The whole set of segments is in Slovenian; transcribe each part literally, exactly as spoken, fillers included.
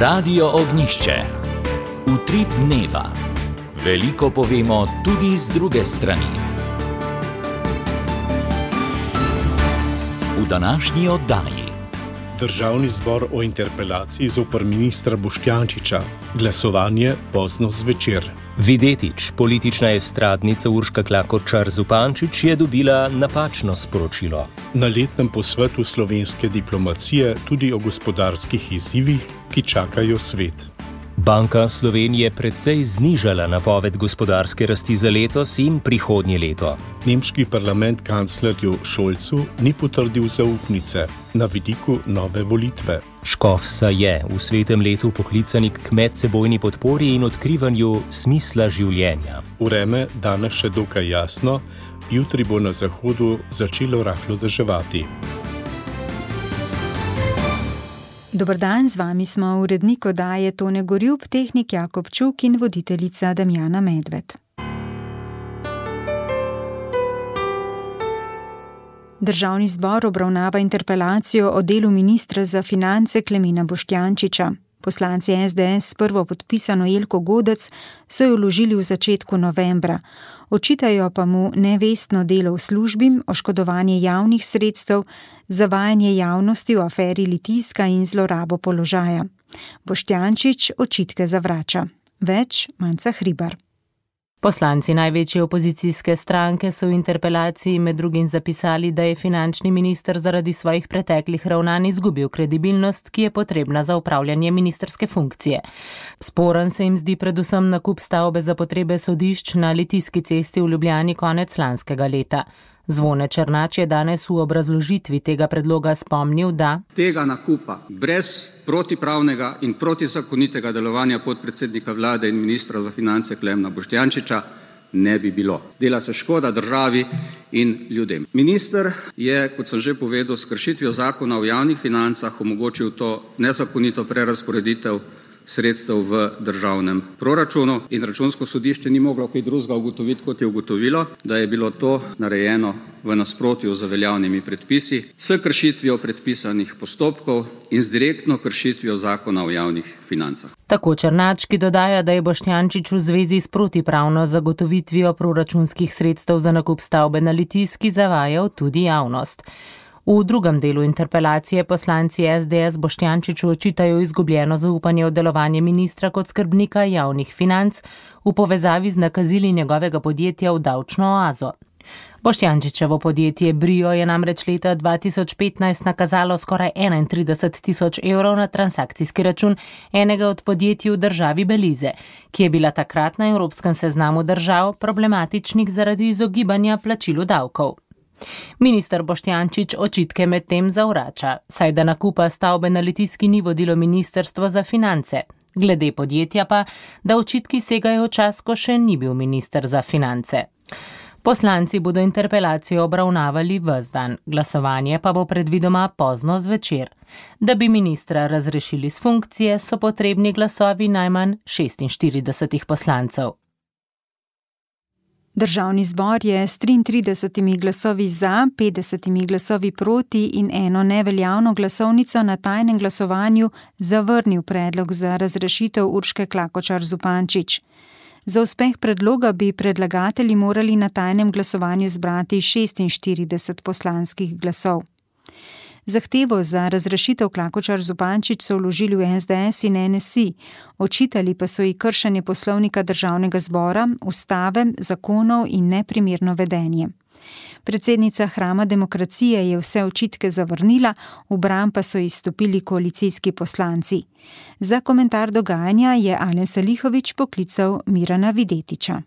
Radio Ognjišče. Utrip dneva. Veliko povemo tudi z druge strani. V današnji oddaji. Državni zbor o interpelaciji zoper ministra Boštjančiča. Glasovanje pozno zvečer. Videtič, politična estradnica Urška Klakočar Zupančič je dobila napačno sporočilo. Na letnem posvetu slovenske diplomacije tudi o gospodarskih izzivih, ki čakajo svet. Banka Slovenije precej znižala napoved gospodarske rasti za letos in prihodnje leto. Nemški parlament kanclerju Scholzu ni potrdil zaupnice, na vidiku nove volitve. Škofsa je v svetem letu poklicani k medsebojni podpori in odkrivanju smisla življenja. Vreme danes še dokaj jasno, jutri bo na zahodu začelo rahlo deževati. Dober dan, z vami smo urednik oddaje Tone Gorjup, tehnik Jakob Čuk in voditeljica Damjana Medved. Državni zbor obravnava interpelacijo o delu ministra za finance Klemena Boštjančiča. Poslanci es de es s prvo podpisano Jelko Godec so jo vložili v začetku novembra. Očitajo pa mu nevestno delo v službi, oškodovanje javnih sredstev, zavajanje javnosti v aferi Litijska in zlorabo položaja. Boštjančič očitke zavrača. Več Manca Hribar. Poslanci največje opozicijske stranke so v interpelaciji med drugim zapisali, da je finančni minister zaradi svojih preteklih ravnanj izgubil kredibilnost, ki je potrebna za upravljanje ministrske funkcije. Sporen se jim zdi predvsem nakup stavbe za potrebe sodišč na Litijski cesti v Ljubljani konec lanskega leta. Zvone Černač je danes v obrazložitvi tega predloga spomnil, da tega nakupa brez protipravnega in protizakonitega delovanja podpredsednika vlade in ministra za finance Klemena Boštjančiča ne bi bilo. Dela se škoda državi in ljudem. Minister je, kot sem že povedal, s kršitvijo zakona o javnih financah omogočil to nezakonito prerazporeditev sredstev v državnem proračunu in Računsko sodišče ni moglo kaj drugega ugotoviti, kot je ugotovilo, da je bilo to narejeno v nasprotju z veljavnimi predpisi, s kršitvijo predpisanih postopkov in z direktno kršitvijo zakona o javnih financah. Tako Černač, ki dodaja, da je Boštjančič v zvezi s protipravno zagotovitvijo proračunskih sredstev za nakup stavbe na Litijski zavajal tudi javnost. V drugem delu interpelacije poslanci es de es Boštjančiču očitajo izgubljeno zaupanje v delovanje ministra kot skrbnika javnih financ v povezavi z nakazili njegovega podjetja v davčno oazo. Boštjančičevo podjetje Brio je namreč leta dva tisoč petnajst nakazalo skoraj enaintrideset tisoč evrov na transakcijski račun enega od podjetij v državi Belize, ki je bila takrat na evropskem seznamu držav problematičnih zaradi izogibanja plačilu davkov. Minister Boštjančič očitke medtem zavrača, saj da nakupa stavbe na Litijski ni vodilo ministrstvo za finance. Glede podjetja pa, da očitki segajo v čas, ko še ni bil minister za finance. Poslanci bodo interpelacijo obravnavali ves dan, glasovanje pa bo predvidoma pozno zvečer. Da bi ministra razrešili s funkcije, so potrebni glasovi najmanj šestinštiridesetih poslancev. Državni zbor je s triintridesetimi glasovi za, petdesetimi glasovi proti in eno neveljavno glasovnico na tajnem glasovanju zavrnil predlog za razrešitev Urške Klakočar Zupančič. Za uspeh predloga bi predlagatelji morali na tajnem glasovanju zbrati šestinštirideset poslanskih glasov. Zahtevo za razrešitev Klakočar Zupančič so vložili v es de es in en es i, očitali pa so ji kršenje poslovnika državnega zbora, ustave, zakonov in neprimerno vedenje. Predsednica hrama demokracije je vse očitke zavrnila, v bran pa so izstopili koalicijski poslanci. Za komentar dogajanja je Alen Salihović poklical Mirana Videtiča.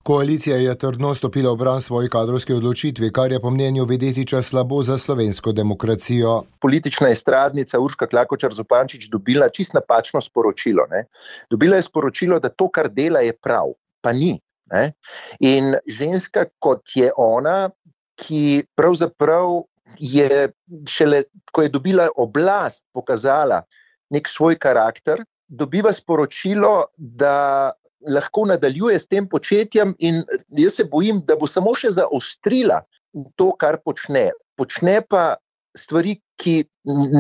Koalicija je trdno stopila v bran svoji kadrovski odločitvi, kar je po mnenju Videtiča slabo za slovensko demokracijo. Politična estradnica Urška Klakočar Zupančič dobila čist napačno sporočilo. Ne? Dobila je sporočilo, da to, kar dela, je prav, pa ni. Ne? In ženska, kot je ona, ki pravzaprav je šele, ko je dobila oblast, pokazala nek svoj karakter, dobiva sporočilo, da lahko nadaljuje s tem početjem in jaz se bojim, da bo samo še zaostrila to, kar počne. Počne pa stvari, ki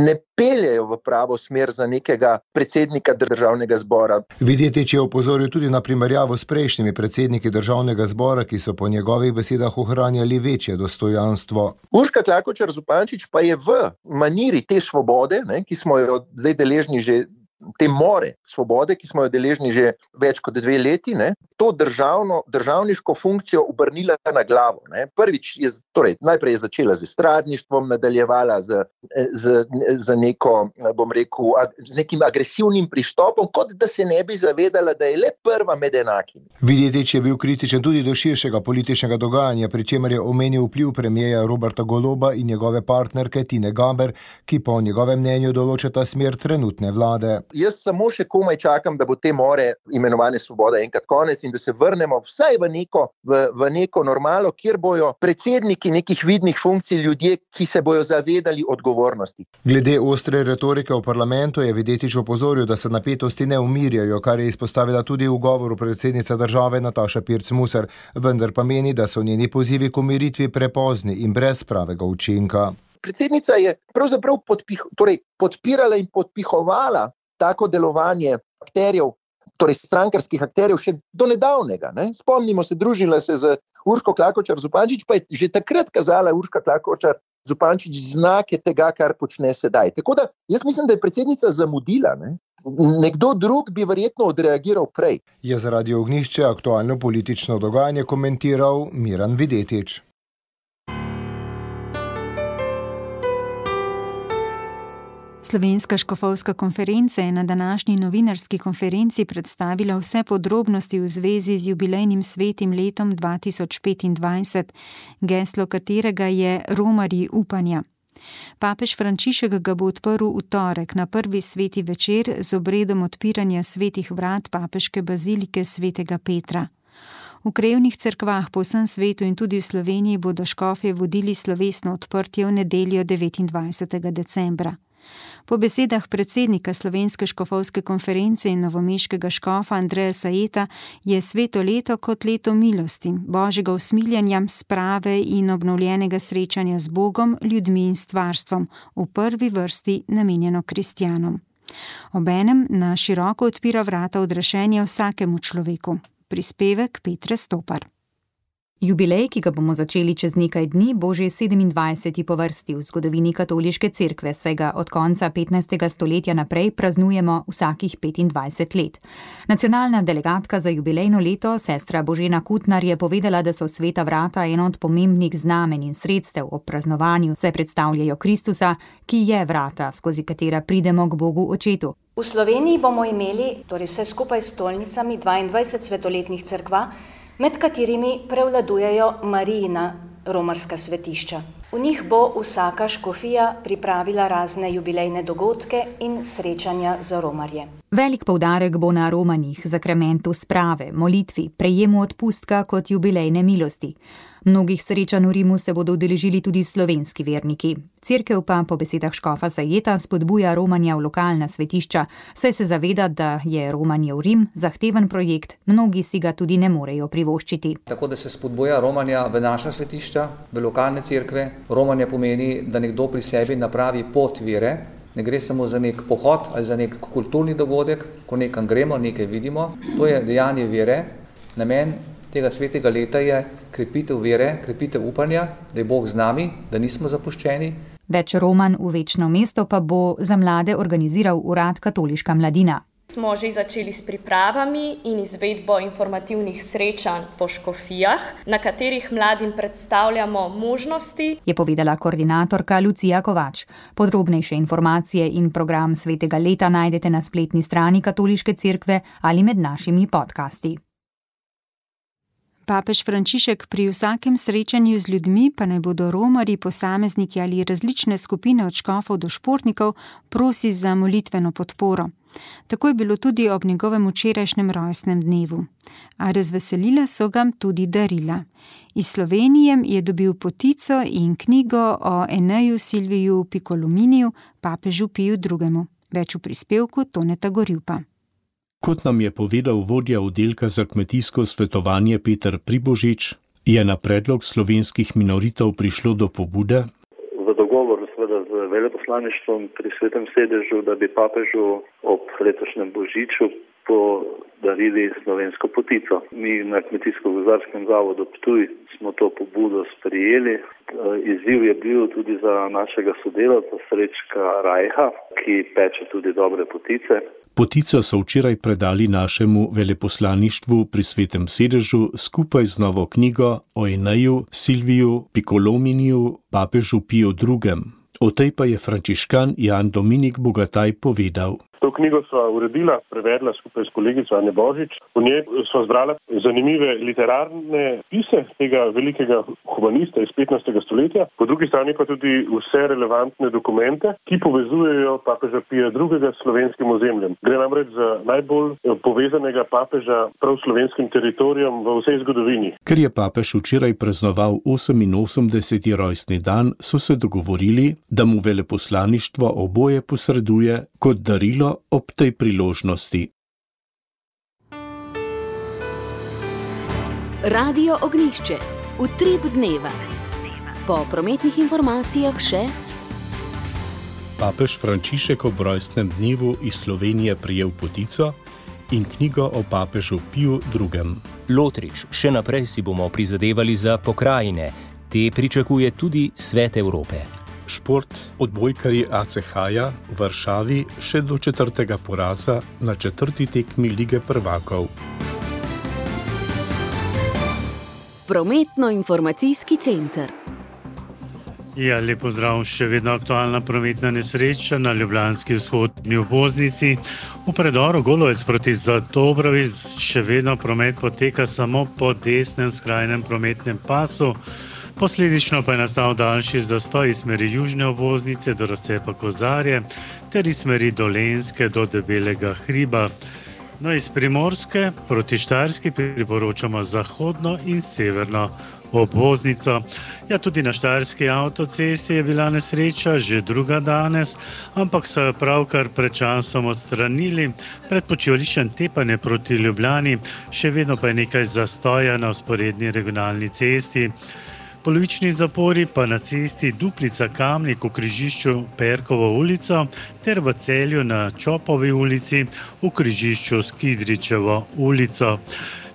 ne peljejo v pravo smer za nekega predsednika državnega zbora. Videtič je opozoril tudi na primerjavo s prejšnjimi predsedniki državnega zbora, ki so po njegovih besedah ohranjali večje dostojanstvo. Urška Klakočar Zupančič pa je v maniri te svobode, ne, ki smo jo zdaj deležni že te more svobode, ki smo jo deležni že več kot dve leti, ne, to državno, državniško funkcijo obrnila na glavo. Ne. Prvič je, torej, najprej je začela z estradništvom, nadaljevala z, z, z neko, bom rekel, z nekim agresivnim pristopom, kot da se ne bi zavedala, da je le prva med enakimi. Videtič je bil kritičen tudi do širšega političnega dogajanja, pri čemer je omenil vpliv premierja Roberta Goloba in njegove partnerke Tine Gaber, ki po njegovem mnenju določata smer trenutne vlade. Jaz samo še komaj čakam, da bo te more imenovane svoboda enkrat konec in da se vrnemo vsaj v neko, v, v neko normalo, kjer bojo predsedniki nekih vidnih funkcij ljudje, ki se bojo zavedali odgovornosti. Glede ostre retorike v parlamentu je Videtič opozoril, da se napetosti ne umirjajo, kar je izpostavila tudi v govoru predsednica države Nataša Pirc Musar, vendar pa meni, da so njeni pozivi k umiritvi prepozni in brez pravega učinka. Predsednica je pravzaprav podpih, torej podpirala in podpihovala tako delovanje akterjev, torej strankarskih akterjev še do nedavnega. Ne? Spomnimo se, družila se z Urško Klakočar Zupančič, pa je že takrat kazala Urška Klakočar Zupančič znake tega, kar počne sedaj. Tako da jaz mislim, da je predsednica zamudila. Ne? Nekdo drug bi verjetno odreagiral prej. Je zaradi Ognjišče aktualno politično dogajanje komentiral Miran Videtič. Slovenska škofovska konferenca je na današnji novinarski konferenci predstavila vse podrobnosti v zvezi z jubilejnim svetim letom dva tisoč petindvajset, geslo katerega je Romarji upanja. Papež Frančišek ga bo odprl v torek na prvi sveti večer z obredom odpiranja svetih vrat papeške bazilike svetega Petra. V krajevnih cerkvah po vsem svetu in tudi v Sloveniji bodo škofje vodili slovesno odprtje v nedeljo devetindvajsetega decembra. Po besedah predsednika Slovenske škofovske konference in novomeškega škofa Andreja Sajeta je sveto leto kot leto milosti, božjega usmiljanja, sprave in obnovljenega srečanja z Bogom, ljudmi in stvarstvom, v prvi vrsti namenjeno kristjanom. Obenem na široko odpira vrata odrešenja vsakemu človeku. Prispevek Petre Stopar. Jubilej, ki ga bomo začeli čez nekaj dni, bo že sedemindvajseti po vrsti v zgodovini katoliške cerkve, saj ga od konca petnajstega stoletja naprej praznujemo vsakih petindvajset let. Nacionalna delegatka za jubilejno leto, sestra Božena Kutnar, je povedala, da so sveta vrata eno od pomembnih znamen in sredstev ob praznovanju, saj predstavljajo Kristusa, ki je vrata, skozi katera pridemo k Bogu Očetu. V Sloveniji bomo imeli, torej vse skupaj s stolnicami, dvaindvajset svetoletnih cerkva, med katerimi prevladujejo Marijina romarska svetišča. V njih bo vsaka škofija pripravila razne jubilejne dogodke in srečanja za romarje. Velik poudarek bo na romanjih, zakramentu sprave, molitvi, prejemu odpustka kot jubilejne milosti. Mnogih srečanj v Rimu se bodo udeležili tudi slovenski verniki. Cerkev pa po besedah škofa Sajeta spodbuja romanja v lokalna svetišča, saj se zaveda, da je romanje v Rim zahteven projekt, mnogi si ga tudi ne morejo privoščiti. Tako da se spodbuja romanja v naša svetišča, v lokalne cerkve. Romanje pomeni, da nekdo pri sebi napravi pot vere. Ne gre samo za nek pohod ali za nek kulturni dogodek, ko nekam gremo, nekaj vidimo. To je dejanje vere. Namen tega svetega leta je krepitev vere, krepitev upanja, da je Bog z nami, da nismo zapuščeni. Več romanj v večno mesto pa bo za mlade organiziral urad Katoliška mladina. Smo že začeli s pripravami in izvedbo informativnih srečanj po škofijah, na katerih mladim predstavljamo možnosti, je povedala koordinatorka Lucija Kovač. Podrobnejše informacije in program svetega leta najdete na spletni strani Katoliške cerkve ali med našimi podcasti. Papež Frančišek pri vsakem srečanju z ljudmi, pa naj bodo romarji, posamezniki ali različne skupine od škofov do športnikov, prosi za molitveno podporo. Tako je bilo tudi ob njegovem včerajšnjem rojstnem dnevu. A razveselila so ga tudi darila. Iz Slovenije je dobil potico in knjigo o Eneju Silviju Picolominiju, papežu Piju drugemu. Več v prispevku Toneta Gorjupa. Kot nam je povedal vodja oddelka za kmetijsko svetovanje Peter Pribožič, je na predlog slovenskih minoritov prišlo do pobude. V dogovoru seveda z veleposlaništvom pri Svetem sedežu, da bi papežu ob letošnjem božiču podarili slovensko potico. Mi na Kmetijsko-gozdarskem zavodu Ptuj smo to pobudo sprijeli. Izziv je bil tudi za našega sodelavca Srečka Rajha, ki peče tudi dobre potice. Potico so včeraj predali našemu veleposlaništvu pri Svetem sedežu skupaj z novo knjigo o Eneju Silviju Piccolominiju, papežu Piju drugem. O tej pa je frančiškan Jan Dominik Bogataj povedal. To knjigo sva uredila, prevedla skupaj s kolegico Ane Božič. V njej sva zbrala zanimive literarne pise tega velikega humanista iz petnajstega stoletja, po drugi strani pa tudi vse relevantne dokumente, ki povezujejo papeža Pija drugega s slovenskim ozemljem. Gre namreč za najbolj povezanega papeža prav slovenskim teritorijem v vsej zgodovini. Ker je papež včeraj praznoval oseminosemdeseti rojstni dan, so se dogovorili, da mu veleposlaništvo oboje posreduje kot darilo ob tej priložnosti. Radio Ognjišče. Utrip dneva. Po prometnih informacijah še. Papež Frančišek ob rojstnem dnevu iz Slovenije prijel potico in knjigo o papežu Piju drugem. Lotrič, še naprej si bomo prizadevali za pokrajine. Te pričakuje tudi Svet Evrope. Šport, odbojkarji A C H-ja v Varšavi še do četrtega poraza na četrti tekmi Lige prvakov. Prometno-informacijski center. Ja, lep pozdrav, še vedno aktualna prometna nesreča na ljubljanski vzhodni obvoznici. V predoru Golovec proti Zlatobrovi še vedno promet poteka samo po desnem skrajnem prometnem pasu. Posledično pa je nastal daljši zastoj iz smeri južne obvoznice do razcepa Kozarje ter iz smeri Dolenjske do Debelega hriba. No, iz Primorske proti Štajerski priporočamo zahodno in severno obvoznico. Ja, tudi na Štajerski avtocesti je bila nesreča, že druga danes, ampak so jo pravkar pred časom odstranili. Pred počivališčem Tepanje proti Ljubljani še vedno pa je nekaj zastoja na vzporedni regionalni cesti. Polovični zapori pa na cesti Duplica Kamnik v križišču Perkovo ulico ter v Celju na Čopovi ulici v križišču Skidričevo ulico.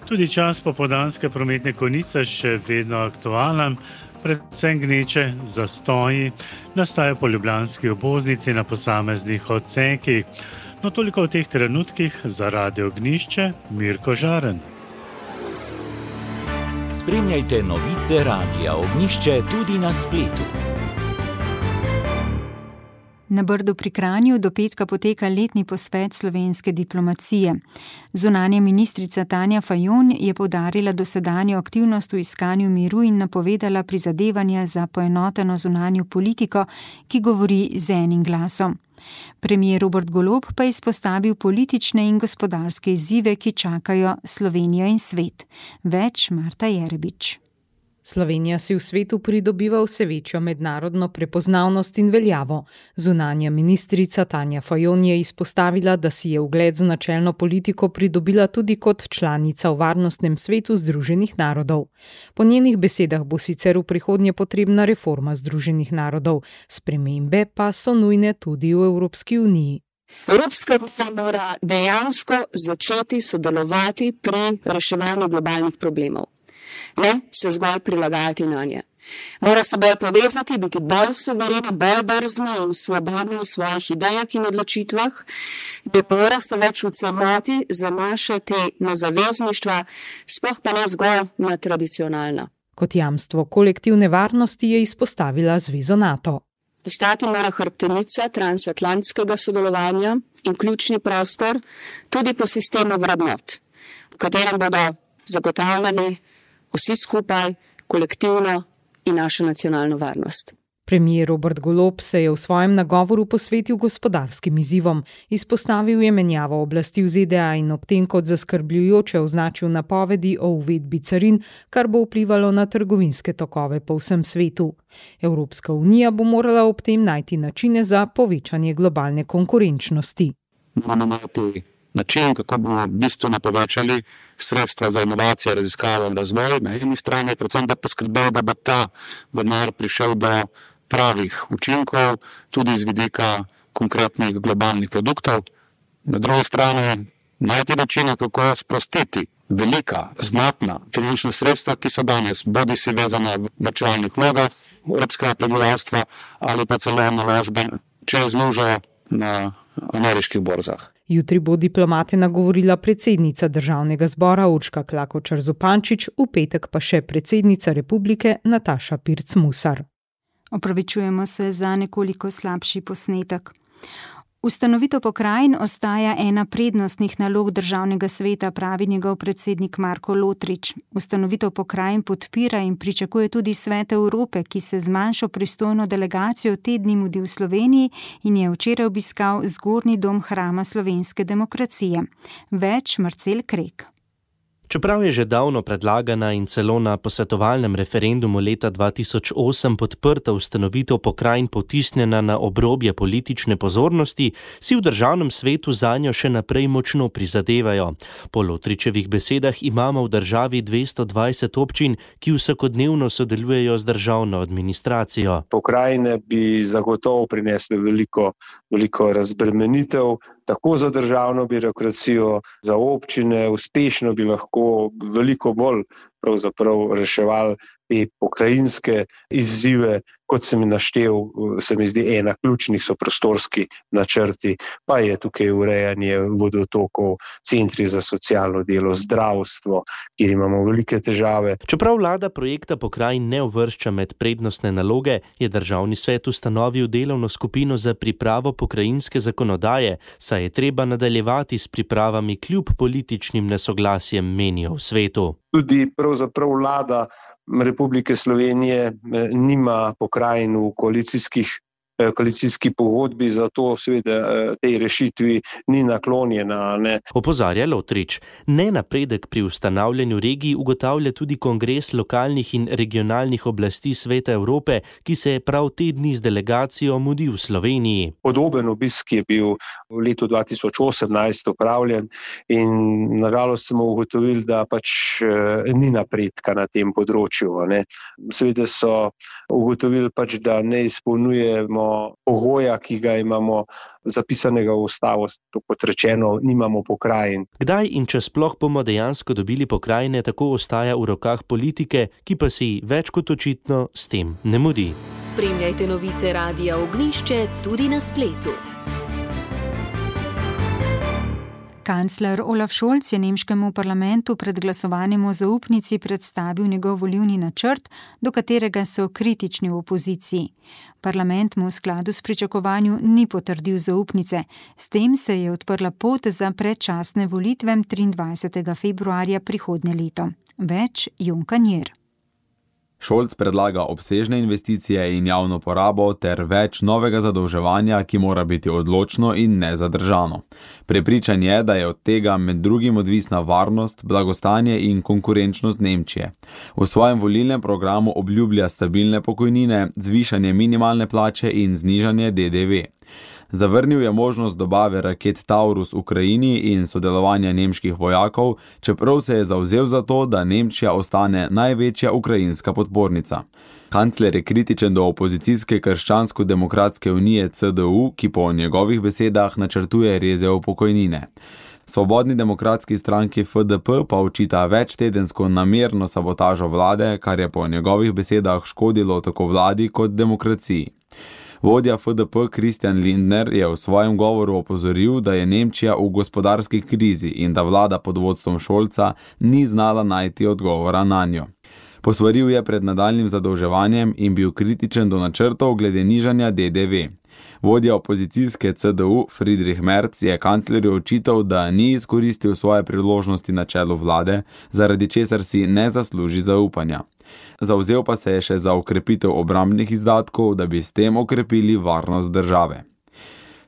Tudi čas popoldanske prometne konice še vedno aktualen, predvsem gneče zastoji nastajajo po ljubljanski obvoznici na posameznih odsekih. No, toliko v teh trenutkih za Radio Ognjišče, Mirko Žaren. Spremljajte novice Radia Ognjišče tudi na spletu. Na Brdu pri Kranju do petka poteka letni posvet slovenske diplomacije. Zunanja ministrica Tanja Fajon je poudarila dosedanjo aktivnost v iskanju miru in napovedala prizadevanja za poenoteno zunanjo politiko, ki govori z enim glasom. Premier Robert Golob pa je izpostavil politične in gospodarske izzive, ki čakajo Slovenijo in svet. Več Marta Jerebič. Slovenija si v svetu pridobiva vse večjo mednarodno prepoznavnost in veljavo. Zunanja ministrica Tanja Fajon je izpostavila, da si je ugled z načelno politiko pridobila tudi kot članica v Varnostnem svetu Združenih narodov. Po njenih besedah bo sicer v prihodnje potrebna reforma Združenih narodov, spremembe pa so nujne tudi v Evropski uniji. Evropska unija mora dejansko začeti sodelovati pri reševanju globalnih problemov. Ne se zgolj prilagajati na nje. Mora se bolj povezati, biti bolj suverena, bolj drzna in svobodna v svojih idejah in odločitvah, ne mora se več v celoti zanašati na zavezništva, sploh pa ne zgolj na tradicionalna. Kot jamstvo kolektivne varnosti je izpostavila Zvezo NATO. Postati mora hrbtenica transatlantskega sodelovanja in ključni prostor tudi po sistemu vrednot, v katerem bodo zagotavljali vsi skupaj, kolektivno in našo nacionalno varnost. Premier Robert Golob se je v svojem nagovoru posvetil gospodarskim izzivom, izpostavil je menjavo oblasti v Z D A in ob tem kot zaskrbljujoče označil napovedi o uvedbi carin, kar bo vplivalo na trgovinske tokove po vsem svetu. Evropska unija bo morala ob tem najti načine za povečanje globalne konkurenčnosti. Način, kako bomo bistveno povečali sredstva za inovacije, raziskave in razvoj, na eni strani, predvsem da poskrbel, da bo ta denar prišel do pravih učinkov, tudi z vidika konkretnih globalnih produktov. Na drugi strani najti načine, kako sprostiti velika, znatna finančna sredstva, ki so danes bodi si vezane v varčevalnih vlogah evropskega prebivalstva ali pa celo naložbe čez lužo na ameriških borzah. Jutri bo diplomate nagovorila predsednica Državnega zbora Urška Klakočar Zupančič, v petek pa še predsednica republike Nataša Pirc Musar. Opravičujemo se za nekoliko slabši posnetek. Ustanovitev pokrajin ostaja ena prednostnih nalog Državnega sveta, pravi njegov predsednik Marko Lotrič. Ustanovitev pokrajin podpira in pričakuje tudi Svet Evrope, ki se z manjšo pristojno delegacijo te dni mudi v Sloveniji in je včeraj obiskal zgornji dom Hrama slovenske demokracije. Več Marcel Krek. Čeprav je že davno predlagana in celo na posvetovalnem referendumu leta dva tisoč osem podprta ustanovitev pokrajin potisnjena na obrobje politične pozornosti, si v državnem svetu zanjo še naprej močno prizadevajo. Po Lotričevih besedah imamo v državi dvesto dvajset občin, ki vsakodnevno sodelujejo z državno administracijo. Pokrajine bi zagotovo prinesle veliko, veliko razbremenitev, tako za državno birokracijo, za občine, uspešno bi lahko veliko bolj pravzaprav reševali te pokrajinske izzive, kot sem naštel, se mi zdi ena ključnih so prostorski načrti, pa je tukaj urejanje vodotokov, centri za socialno delo, zdravstvo, kjer imamo velike težave. Čeprav vlada projekta pokrajin ne uvršča med prednostne naloge, je Državni svet ustanovil delovno skupino za pripravo pokrajinske zakonodaje, saj je treba nadaljevati s pripravami kljub političnim nesoglasjem, menijo v svetu. Tudi pravzaprav vlada Republike Slovenije nima pokrajin v koalicijskih koalicijski pogodbi, zato seveda tej rešitvi ni naklonjena. Ne. Opozarja Lotrič. Nenapredek pri ustanavljanju regij ugotavlja tudi Kongres lokalnih in regionalnih oblasti Sveta Evrope, ki se je prav te dni z delegacijo mudil v Sloveniji. Podoben obisk je bil v letu dva tisoč osemnajst opravljen in nažalost smo ugotovili, da pač ni napredka na tem področju. Ne. Seveda so ugotovili pač, da ne izpolnjujemo pogoja, ki ga imamo zapisanega v ustavo, to kot rečeno, nimamo pokrajin. Kdaj in če sploh bomo dejansko dobili pokrajine, tako ostaja v rokah politike, ki pa si več kot očitno s tem ne mudi. Spremljajte novice Radia Ognjišče tudi na spletu. Kancler Olaf Scholz je nemškemu parlamentu pred glasovanjem o zaupnici predstavil njegov volilni načrt, do katerega so kritični v opoziciji. Parlament mu v skladu s pričakovanjem ni potrdil zaupnice. S tem se je odprla pot za predčasne volitve triindvajsetega februarja prihodnje leto. Več Jon Kanjer. Scholz predlaga obsežne investicije in javno porabo ter več novega zadolževanja, ki mora biti odločno in nezadržano. Prepričan je, da je od tega med drugim odvisna varnost, blagostanje in konkurenčnost Nemčije. V svojem volilnem programu obljublja stabilne pokojnine, zvišanje minimalne plače in znižanje D D V. Zavrnil je možnost dobave raket Taurus Ukrajini in sodelovanja nemških vojakov, čeprav se je zavzel za to, da Nemčija ostane največja ukrajinska podpornica. Kancler je kritičen do opozicijske Krščansko-demokratske unije C D U, ki po njegovih besedah načrtuje reze v pokojnine. Svobodni demokratski stranki F D P pa očita večtedensko namerno sabotažo vlade, kar je po njegovih besedah škodilo tako vladi kot demokraciji. Vodja F D P Christian Lindner je v svojem govoru opozoril, da je Nemčija v gospodarski krizi in da vlada pod vodstvom Scholza ni znala najti odgovora nanjo. Posvaril je pred nadaljnjim zadolževanjem in bil kritičen do načrtov glede nižanja D D V. Vodja opozicijske C D U Friedrich Merz je kanclerju očital, da ni izkoristil svoje priložnosti na čelu vlade, zaradi česar si ne zasluži zaupanja. Zavzel pa se je še za okrepitev obrambnih izdatkov, da bi s tem okrepili varnost države.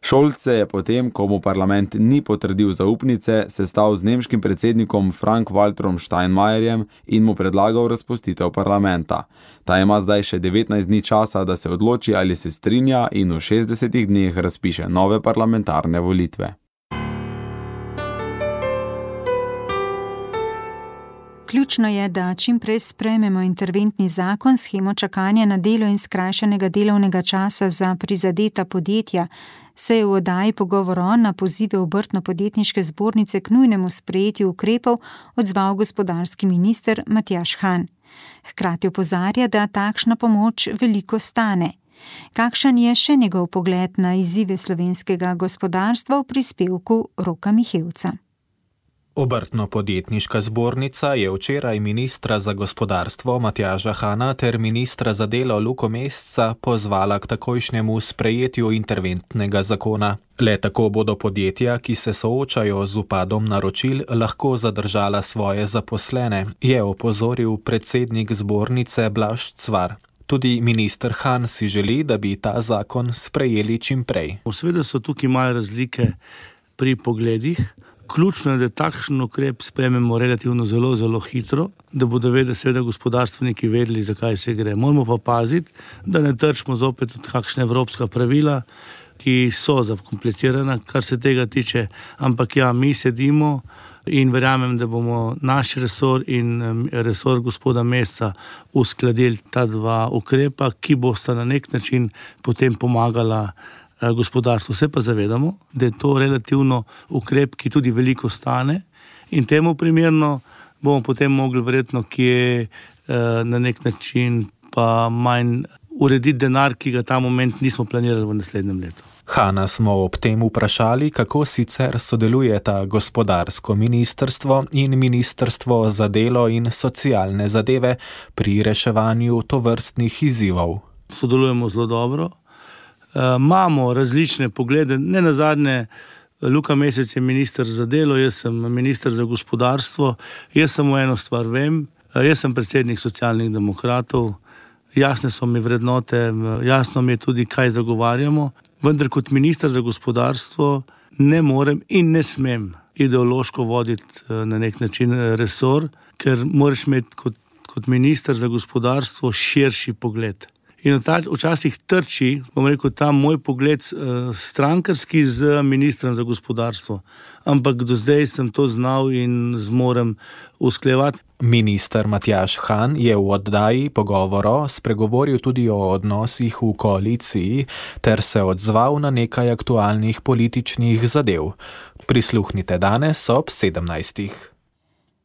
Scholz se je potem, ko mu parlament ni potrdil zaupnice, sestal z nemškim predsednikom Frank-Walterom Steinmeierjem in mu predlagal razpustitev parlamenta. Ta ima zdaj še devetnajst dni časa, da se odloči, ali se strinja in v šestdesetih dneh razpiše nove parlamentarne volitve. Ključno je, da čim prej sprejmemo interventni zakon, shemo čakanja na delo in skrajšanega delovnega časa za prizadeta podjetja, se je v oddaji Pogovor na pozive Obrtno-podjetniške zbornice k nujnemu sprejetju ukrepov odzval gospodarski minister Matjaž Han. Hkrati opozarja, da takšna pomoč veliko stane. Kakšen je še njegov pogled na izzive slovenskega gospodarstva v prispevku Roka Mihevca? Obrtno-podjetniška zbornica je včeraj ministra za gospodarstvo Matjaža Hana ter ministra za delo Luko Mesca pozvala k takojšnjemu sprejetju interventnega zakona. Le tako bodo podjetja, ki se soočajo z upadom naročil, lahko zadržala svoje zaposlene, je opozoril predsednik zbornice Blaž Cvar. Tudi minister Han si želi, da bi ta zakon sprejeli čim prej. Seveda so tukaj malo razlike pri pogledih. Ključno je, da takšen ukrep sprejmemo relativno zelo, zelo hitro, da bodo vedeli seveda gospodarstveniki vedeli, zakaj se gre. Moramo pa paziti, da ne trčimo zopet od kakšne evropska pravila, ki so zakomplicirana, kar se tega tiče. Ampak ja, mi sedimo in verjamem, da bomo naš resor in resor gospoda Mesca uskladili ta dva ukrepa, ki bosta na nek način potem pomagala gospodarstvo. Se pa zavedamo, da je to relativno ukrep, ki tudi veliko stane in temu primerno bomo potem mogli verjetno kje na nek način pa manj urediti denar, ki ga ta moment nismo planirali v naslednjem letu. Hana smo ob tem vprašali, kako sicer sodelujeta gospodarsko ministrstvo in ministrstvo za delo in socialne zadeve pri reševanju tovrstnih izzivov. Sodelujemo zelo dobro. Imamo različne poglede, ne nazadnje Luka Mesec je minister za delo, jaz sem minister za gospodarstvo, jaz samo eno stvar vem, jaz sem predsednik Socialnih demokratov, jasne so mi vrednote, jasno mi je tudi, kaj zagovarjamo, vendar kot minister za gospodarstvo ne morem in ne smem ideološko voditi na nek način resor, ker moraš imeti kot, kot minister za gospodarstvo širši pogled. In včasih trči, bom rekel, ta moj pogled strankarski z ministrom za gospodarstvo. Ampak do zdaj sem to znal in zmorem usklejevati. Minister Matjaž Han je v oddaji Pogovoro spregovoril tudi o odnosih v koaliciji ter se odzval na nekaj aktualnih političnih zadev. Prisluhnite danes ob sedemnajstih.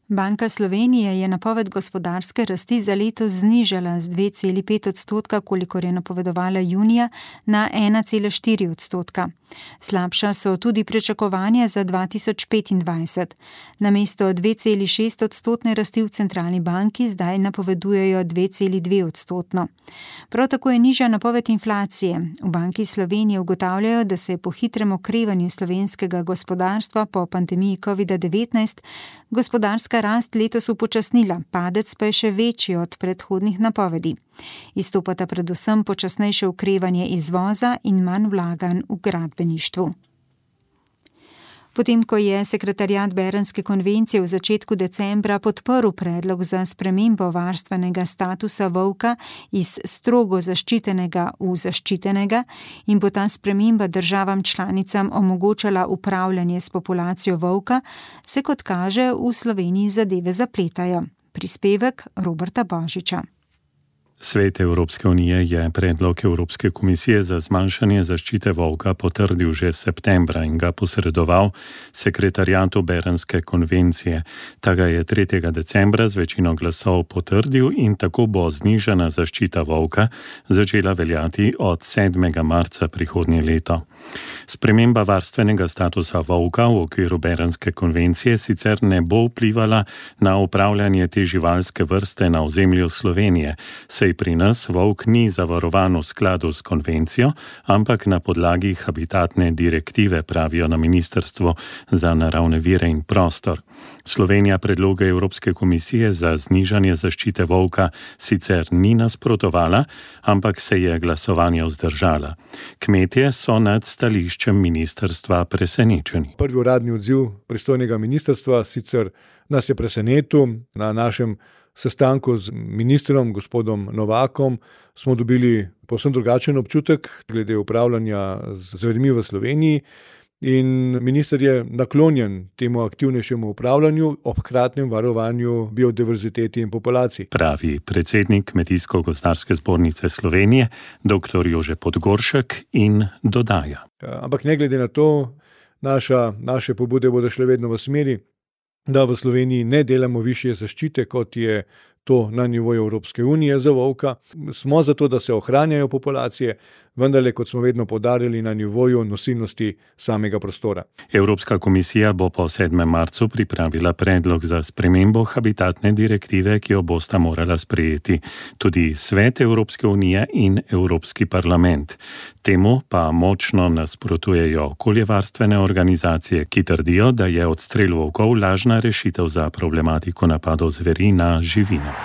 Banka Slovenije je napoved gospodarske rasti za letos znižala z dve celi pet odstotka, kolikor je napovedovala junija, na ena cela štiri odstotka. Slabša so tudi pričakovanja za dva tisoč petindvajset. Namesto dve celi šest odstotne rasti v centralni banki zdaj napovedujejo dve celi dve odstotno. Prav tako je nižja napoved inflacije. V Banki Slovenije ugotavljajo, da se je po hitrem okrevanju slovenskega gospodarstva po pandemiji covid devetnajst gospodarska rast letos upočasnila, padec pa je še večji od predhodnih napovedi. Izstopata predvsem počasnejše okrevanje izvoza in manj vlaganj v gradbeništvu. Potem, ko je sekretariat Bernske konvencije v začetku decembra podprl predlog za spremembo varstvenega statusa volka iz strogo zaščitenega v zaščitenega in bo ta sprememba državam članicam omogočala upravljanje s populacijo volka, se kot kaže v Sloveniji zadeve zapletajo. Prispevek Roberta Božiča. Svet Evropske unije je predlog Evropske komisije za zmanjšanje zaščite volka potrdil že septembra in ga posredoval sekretariatu Bernske konvencije. Ta ga je tretjega decembra z večino glasov potrdil in tako bo znižana zaščita volka začela veljati od sedmega marca prihodnje leto. Sprememba varstvenega statusa volka v okviru Bernske konvencije sicer ne bo vplivala na upravljanje te živalske vrste na ozemlju Slovenije, saj pri nas volk ni zavarovan v skladu s konvencijo, ampak na podlagi habitatne direktive, pravijo na Ministrstvu za naravne vire in prostor. Slovenija predloge Evropske komisije za znižanje zaščite volka sicer ni nasprotovala, ampak se je glasovanje vzdržala. Kmetje so nad stališčem ministrstva presenečeni. Prvi uradni odziv pristojnega ministrstva sicer nas je presenetil. Na našem sestanku z ministrom, gospodom Novakom, smo dobili povsem drugačen občutek glede upravljanja z zvermi v Sloveniji. in minister je naklonjen temu aktivnejšemu upravljanju ob hkratnem varovanju biodiverziteti in populacij. Pravi predsednik Kmetijsko-gozdarske zbornice Slovenije, dr. Jože Podgoršek, in dodaja. Ampak ne glede na to, naša, naše pobude bodo šle vedno v smeri, da v Sloveniji ne delamo višje zaščite, kot je to na nivoju Evropske unije za volka. Smo zato, da se ohranjajo populacije, vendarle, kot smo vedno poudarjali, na nivoju nosilnosti samega prostora. Evropska komisija bo po sedmem marcu pripravila predlog za spremembo habitatne direktive, ki jo bosta morala sprejeti tudi Svet Evropske unije in Evropski parlament. Temu pa močno nasprotujejo okoljevarstvene organizacije, ki trdijo, da je odstrel volkov lažna rešitev za problematiko napadov zveri na živino.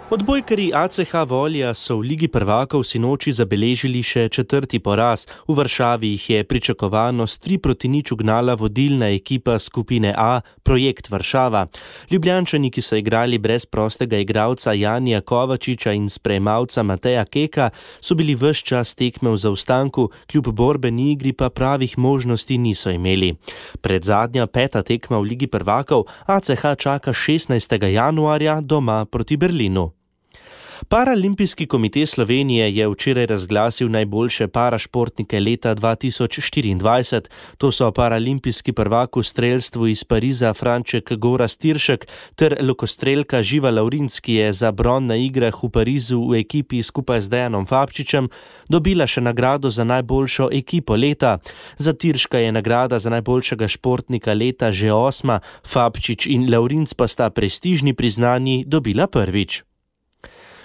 Odbojkarji A C H Volja so v Ligi prvakov sinoči zabeležili še četrti poraz. V Varšavi jih je pričakovano s tri proti nič ugnala vodilna ekipa skupine A, Projekt Varšava. Ljubljančani, ki so igrali brez prostega igralca Janija Kovačiča in sprejemavca Mateja Keka, so bili ves čas tekme v zaostanku, kljub borbeni igri pa pravih možnosti niso imeli. Predzadnja peta tekma v Ligi prvakov A C H čaka šestnajstega januarja doma proti Berlinu. Paralimpijski komite Slovenije je včeraj razglasil najboljše parašportnike leta dva tisoč štiriindvajset. To so paralimpijski prvak v strelstvu iz Pariza Franček Gorazd Tiršek ter lokostrelka Živa Lavrinc, ki je za bron na igrah v Parizu v ekipi skupaj z Dejanom Fabčičem dobila še nagrado za najboljšo ekipo leta. Za Tirška je nagrada za najboljšega športnika leta že osma, Fabčič in Lavrinc pa sta prestižni priznanji dobila prvič.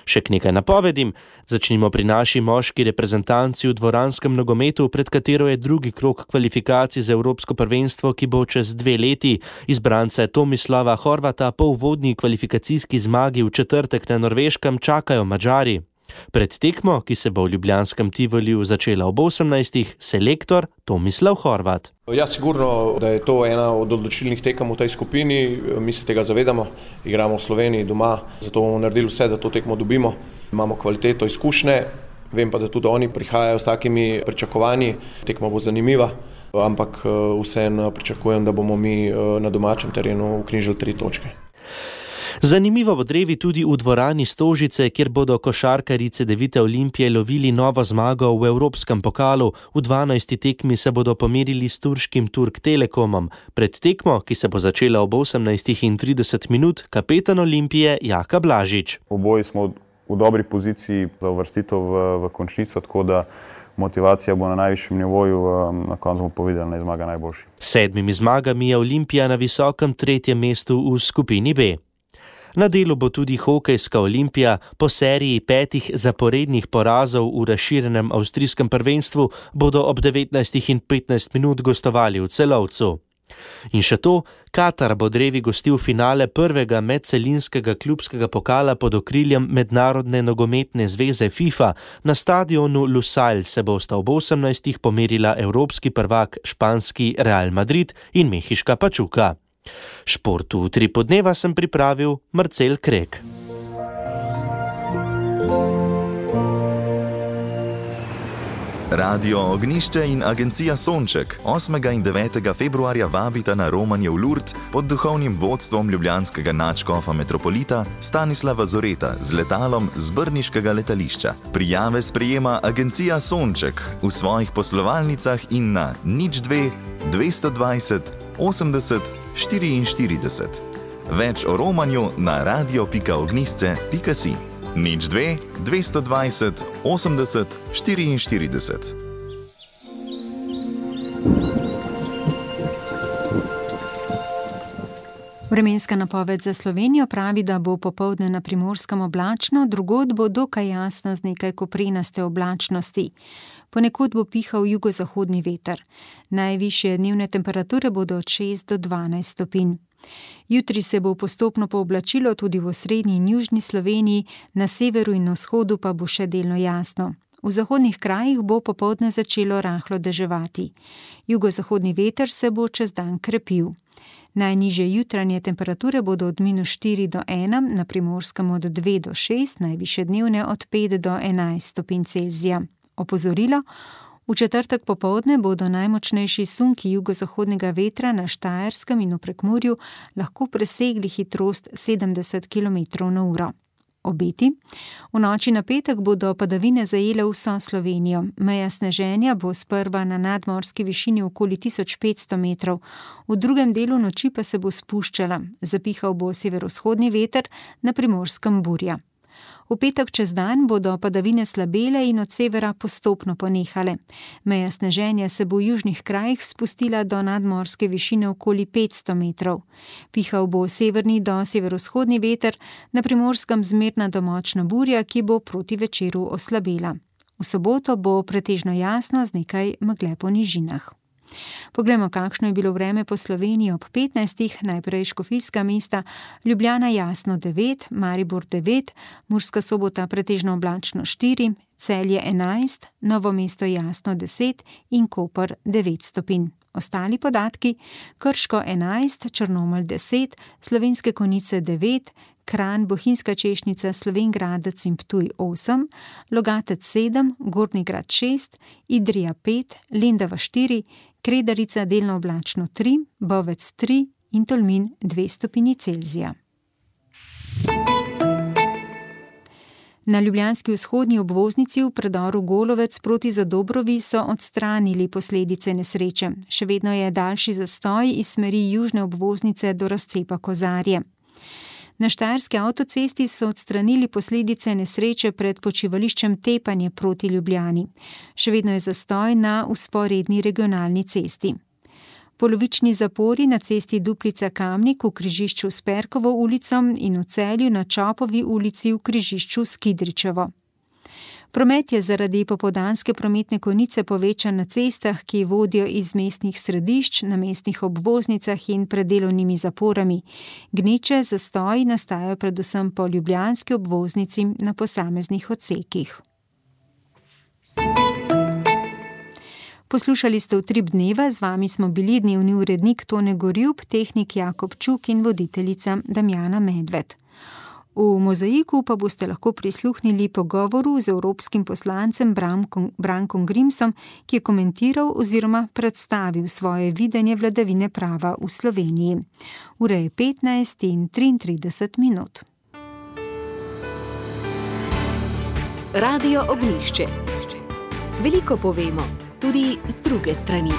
Še k nekaj napovedim. Začnimo pri naši moški reprezentanci v dvoranskem nogometu, pred katero je drugi krog kvalifikacij za Evropsko prvenstvo, ki bo čez dve leti. Izbrance Tomislava Horvata po uvodni kvalifikacijski zmagi v četrtek na Norveškem čakajo Madžari. Pred tekmo, ki se bo v ljubljanskem Tivoliju začela ob osemnajstih, selektor Tomislav Horvat. Ja, sigurno, da je to ena od odločilnih tekem v tej skupini. Mi se tega zavedamo, igramo v Sloveniji doma, zato bomo naredili vse, da to tekmo dobimo. Imamo kvaliteto, izkušnje, vem pa, da tudi oni prihajajo s takimi pričakovanji. Tekma bo zanimiva, ampak vseeno pričakujem, da bomo mi na domačem terenu vknjižili tri točke. Zanimivo bo drevi tudi v dvorani Stožice, kjer bodo košarkarji Cedevite Olimpije lovili novo zmago v Evropskem pokalu. V dvanajsti tekmi se bodo pomerili s turškim Turk Telekomom. Pred tekmo, ki se bo začela ob osemnajstih in trideset minut, kapetan Olimpije Jaka Blažič. Oboji smo v dobri poziciji za uvrstitev v, v končnico, tako da motivacija bo na najvišjem nivoju, na koncu bomo povedali, da je zmaga najboljši. S sedmimi zmagami je Olimpija na visokem tretjem mestu v skupini B. Na delu bo tudi hokejska Olimpija. Po seriji petih zaporednih porazov v razširjenem avstrijskem prvenstvu bodo ob devetnajstih in petnajst minut gostovali v Celovcu. In še to, Katar bo drevi gostil finale prvega medcelinskega klubskega pokala pod okriljem Mednarodne nogometne zveze FIFA. Na stadionu Lusail se bosta ob osemnajstih pomerila evropski prvak španski Real Madrid in mehiška Pachuca. Športu v tri podneva sem pripravil Marcel Krek. Radio Ognišče in agencija Sonček osmega in devetega februarja vabita na romanje v Lurd pod duhovnim vodstvom ljubljanskega nadškofa metropolita Stanislava Zoreta z letalom z brniškega letališča. Prijave sprejema agencija Sonček v svojih poslovalnicah in na nič dve dvesto dvajset osemdeset štiriinštirideset. Več o romanju na radio pika ognisce pika si. nič dve dvesto dvajset osemdeset štiriinštirideset. Vremenska napoved za Slovenijo pravi, da bo popoldne na Primorskem oblačno, drugod bo dokaj jasno z nekaj koprenaste oblačnosti. Ponekod bo pihal jugozahodni veter. Najvišje dnevne temperature bodo od šest do dvanajst stopinj. Jutri se bo postopno pooblačilo tudi v osrednji in južni Sloveniji, na severu in na vzhodu pa bo še delno jasno. V zahodnih krajih bo popoldne začelo rahlo deževati. Jugozahodni veter se bo čez dan krepil. Najnižje jutranje temperature bodo od minus štiri do ena, na Primorskem od dve do šest, najvišje dnevne od pet do enajst stopinj Celzija. Opozorilo: v četrtek popovdne bodo najmočnejši sunki jugozahodnega vetra na Štajerskem in v Prekmurju lahko presegli hitrost sedemdeset kilometrov na uro. Obeti: v noči na petek bodo padavine zajele vso Slovenijo. Meja sneženja bo sprva na nadmorski višini okoli tisoč petsto metrov, v drugem delu noči pa se bo spuščala. Zapihal bo severovzhodni veter, na Primorskem burja. V petek čez dan bodo padavine slabele in od severa postopno ponehale. Meja sneženja se bo v južnih krajih spustila do nadmorske višine okoli petsto metrov. Pihal bo severni do severovzhodni veter, na Primorskem zmerna do močna burja, ki bo proti večeru oslabela. V soboto bo pretežno jasno z nekaj megle po nižinah. Poglejmo, kakšno je bilo vreme po Sloveniji ob petnajstih, najprej škofijska mesta, Ljubljana jasno devet, Maribor devet, Murska Sobota pretežno oblačno štiri, Celje enajst, Novo mesto jasno deset in Koper devet stopinj. Ostali podatki: Krško enajst, Črnomelj deset, Slovenske Konjice devet, Kranj, Bohinjska Češnjica, Slovenj Gradec in Ptuj osem, Logatec sedem, Gornji Grad šest, Idrija pet, Lendava štiri, Kredarica delno oblačno tri, Bovec tri in Tolmin dve stopinji Celzija. Na ljubljanski vzhodni obvoznici v predoru Golovec proti Zadobrovi so odstranili posledice nesreče. Še vedno je daljši zastoj iz smeri južne obvoznice do razcepa Kozarje. Na štajerski avtocesti so odstranili posledice nesreče pred počivališčem Tepanje proti Ljubljani. Še vedno je zastoj na vzporedni regionalni cesti. Polovični zapori na cesti Duplica-Kamnik v križišču s Perkovo ulico in v Celju na Čopovi ulici v križišču s Kidričevo. Promet je zaradi popoldanske prometne konice povečan na cestah, ki vodijo iz mestnih središč, na mestnih obvoznicah in pred delovnimi zaporami. Gneče zastoji nastajajo predvsem po ljubljanski obvoznici na posameznih odsekih. Poslušali ste Utrip dneva, z vami smo bili dnevni urednik Tone Gorjup, tehnik Jakob Čuk in voditeljica Damjana Medved. V Mozaiku pa boste lahko prisluhnili pogovoru z evropskim poslancem Brankom Grimsom, ki je komentiral oziroma predstavil svoje videnje vladavine prava v Sloveniji. Ura je petnajst in triintrideset minut. Radio Ognjišče. Veliko povemo, tudi z druge strani.